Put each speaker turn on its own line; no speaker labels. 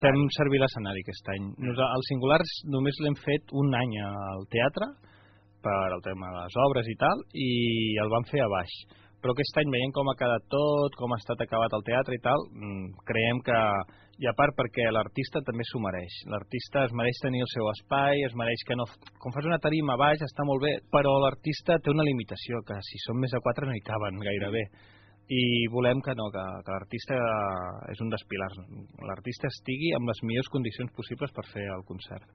Fem servir l'escenari aquest any. Els Singulars només l'hem fet un any al teatre, per al tema de les obres i tal, i el vam fer a baix. Però aquest any, veient com ha quedat tot, com ha estat acabat el teatre i tal, creiem que, i a part perquè l'artista també s'ho mereix. L'artista es mereix tenir el seu espai, es mereix que no... Com fas una tarima a baix està molt bé, però l'artista té una limitació, que si són més de 4 no hi caben gairebé. I volem que no, que l'artista és un dels pilars. L'artista estigui amb les millors condicions possibles per fer el concert.